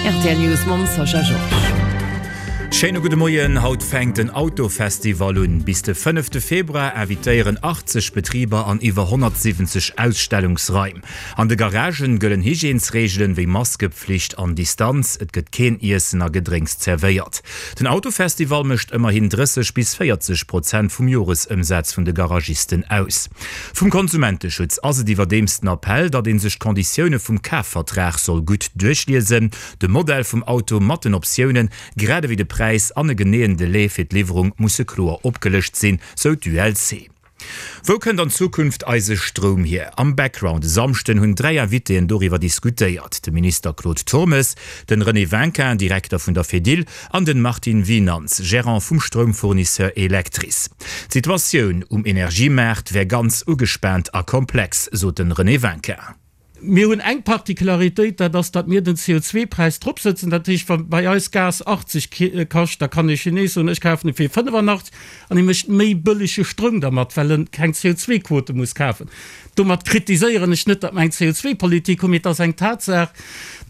Rtl News mam Sascha Georges. Schéine gudde Moien, Haut fänkt den Autofestival un. Bis de fënnefte Februar invitéieren 80 Betriber an iwwer 170 Ausstellungsraim. An de Garagen gëllen Hygiènesreegelen wéi Maskepflicht an Distanz. Et gëtt keen Iessen a Gedrénks zerwéiert. Den Autofestival mécht ëmmerhin 30 bis 40 Prozent vum Joresëmsaz vun de Garagisten aus. Vum Konsumenteschutz ass et iwwerdeems den Appell, datt ee sech d'Konditioune vum Kafvertrag soll gutt duerchliesen, de Modell vum Auto mat den Optiounen, grad ewéi de Präis an e geneeën Delai fir d'Liwwerung musse kloer opgelëscht sinn, sou d'ULC. Wou kënnt an Zukunft eise Stroum hier? Am Background e Samschden hunn 3 Invitéen doriwwer diskutéiert, de Minister Claude Turmes, den René Winkin, Direkter vun der Fedil, an den Martin Winanz, Gérant vum Stroumfournisseur Electris. D'Situatioun um Energiemaart wär ganz ugespaant a komplex, sot den René Winkin. Mir hunn eng Particularitéit, dat ass, datt mir den CO2-Präis dropsëtzen. Dat heescht, wa bei eis Gas 80 kascht, da kann e Chines soen, ech kafen e fir 85 an hie mécht méi bëllege Stroum dermat, well en keng CO2-Quote muss kafen. Domat kritiséieren ech net, datt mer eng CO2-Politik hunn, mee et ass eng Tatsaach,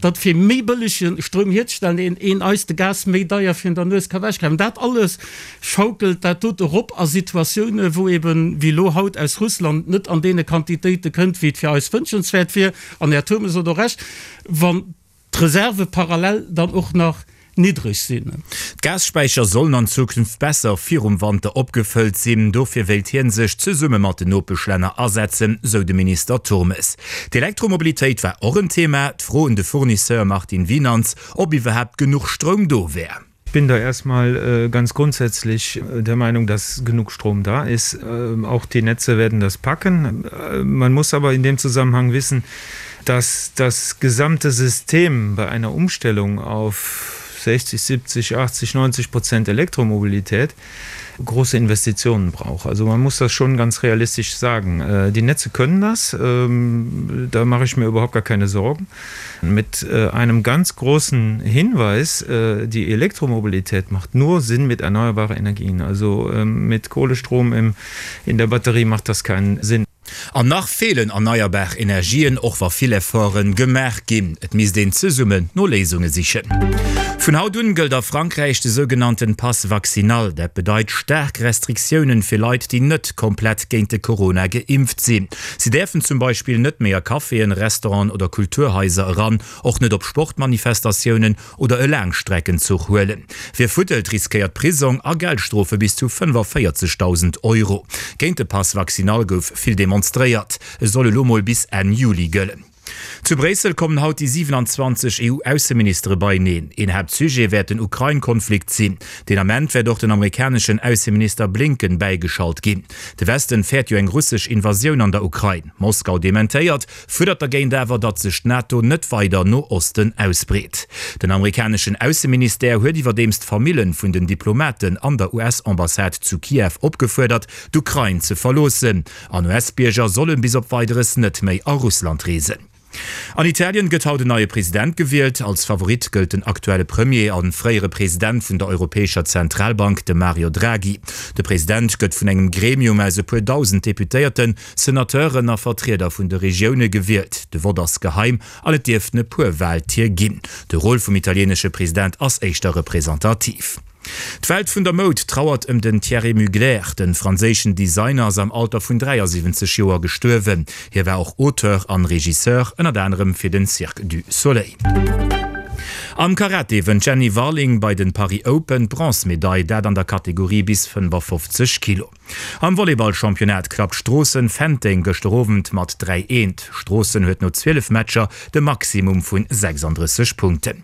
datt fir méi bëllege Stroum hierzestellen, een een eis de Gas méi deier virun der Nues ka wechkafen. Dat alles schaukelt dat dote erop a Situatiounen, wou eben, wéi elo haut, aus Russland net an deene Quantitéite kënnt, wéi et fir eis wënschenswäert wier. An Här Turmes huet och Recht, wann d'Reserve parallel dann och nach niddreg sinn. D'Gasspäicher sollen an Zukunft besser virum Wanter opgefëllt sinn. Dofir wéilt hie sech zesumme mat den Nopeschlänner asetzen, sou de Minister Turmes. D'Elektromobilitéit war och en Thema. D'Fro un de Fournisseur Martin Winanz, ob iwwerhaapt genuch Stroum do wär. Ich bin da erstmal ganz grundsätzlich der Meinung, dass genug Strom da ist. Auch die Netze werden das packen. Man muss aber in dem Zusammenhang wissen, dass das gesamte System bei einer Umstellung auf 60, 70, 80, 90 Prozent Elektromobilität große Investitionen braucht. Also man muss das schon ganz realistisch sagen. Äh, die Netze können das, ähm, da mache ich mir überhaupt gar keine Sorgen. Mit äh, einem ganz großen Hinweis, äh, die Elektromobilität macht nur Sinn mit erneuerbaren Energien. Also ähm, mit Kohlestrom im, in der Batterie macht das keinen Sinn. An nach feelen erneierbar Energien, och wa vill Efforte gemaach ginn. Et misst een zesummen no Léisunge sichen. Vun haut un gëllt a Frankräich de sougenannten Pass vaccinal. Dat bedeit staark Restriktiounen fir Leit, déi net komplett géint de Corona geimpft sinn. Si däerfen zum Beispill net méi a Caféen, Restauranten oder Kulturhaiser eran, och net op Sportmanifestatiounen oder e Laangstreckenzuch huelen. Wie fuddelt, riskéiert Prisong a Geldstrofe bis zu 45.000 Euro. Géint de Pass vaccinal gouf vill demonstréiert. E soll elo mol bis Enn Juli gëllen. Zu Bréissel kommen haut déi 27 EU-Ausseministere beieneen. Een Haaptsujet wäert den Ukrain-Konflikt sinn. Deen Ament wäert och den amerikaneschen Ausseminister Blinken bäigeschalt ginn. De Westen fäert jo eng russesch Invasioun an der Ukrain. Moskau dementéiert, fuerdert dergéint awer, datt sech d'NATO net weider no Osten ausbreet. Den amerikaneschen Ausseministère huet iwwerdeems d'Famillen vun den Diplomaten an der US-Ambassade zu Kiew opgefuerdert, d'Ukrain ze verloossen. An US-Bierger sollen bis op Weideres net méi a Russland reesen. An Italien gëtt haut en neie President gewielt. Als Favorit gëllt den aktuelle Premier a fréiere President vun der Europäescher Zentralbank, de Mario Draghi. De President gëtt vun engem Gremium aus e puer dausend Deputéierten, Senateuren a Vertrieder vun de Regioune gewielt. De Vott ass geheim an et dierften e puer Waltier ginn. De Rôle vum italienesche President ass éischter representativ. D'Welt vun der Moud trauert ëm den Thierry Mugler. De franséischen Designer ass am Alter vun 73 Joer gestuerwen. Hie war och Auteur an Regisseur, ënnert anerem fir den Cirque du Soleil. Am Karate wënnt d'Jenny Warling bei den Paris Open d'Bronzemedail, dat an der Kategorie bis 55 Kilo. Am Volleyball-Championnat klappt Stroossen Fenteng gëschter Owend mat 3, 1. Stroossen huet no 12 Matcher de Maximum vun 36 Punkten.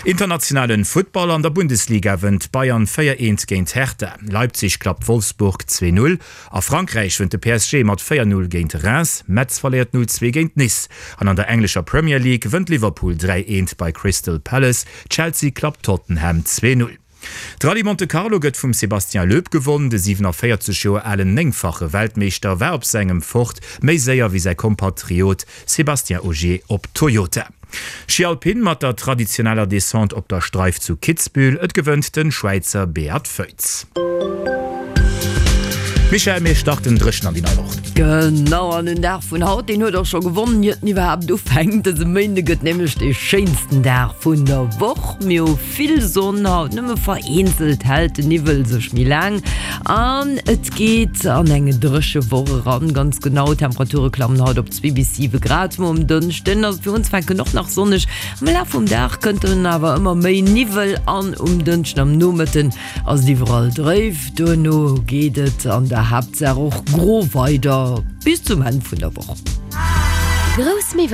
Internationalen Futtball, An der Bundesliga wënnt Bayern 4, 1 géint Hertha, Leipzig klappt Wolfsburg 2, 0. A Frankräich wënnt de PSG mat 4, 0 géint Reims, Metz verléiert 0, 2 géint Nice an an der englescher Premier League wënnt Liverpool 3, 1 bei Crystal Palace, Chelsea klappt Tottenham 2, 0. D'Rallye Monte Carlo gëtt vum Sébastien Loeb gewonn. De 47 Joer alen néngfache Weltmeeschter war op sengem Ford méi séier wéi säi Kompatriot Sébastien Ogier op Toyota. Schi Alpin mat der traditioneller Descente op der Streif zu Kitzbühel. Et gewënnt de Schwäizer Beat Feuz. Michèle, mir starten dréchen an déi nei Woch. Genau, an den Dag vun haut, deen huet och scho gewonnen, iert en iwwerhaapt ufänkt. Dëse Méinde gëtt nämlech dee schéinsten Dag vun der Woch. Mir hu vill Sonn haut, nëmme vereenzelt hält de Niwwel sech méi laang an et geet an eng dréche Woch eran. Ganz genau, d'Temperature klammen haut op 2 bis 7 Grad. Muer um Dënschden ass et fir unzefänken och nach sonneg. Am Laf vum Dag kënnt dann awer ëmmer méi Niwwel an um Dënschden am Nomëtten ass et iwwerall dréif. Duerno geet et an der Haaptsaach och gro weider bis zum Enn vun der Woch. Grouss Miwwel.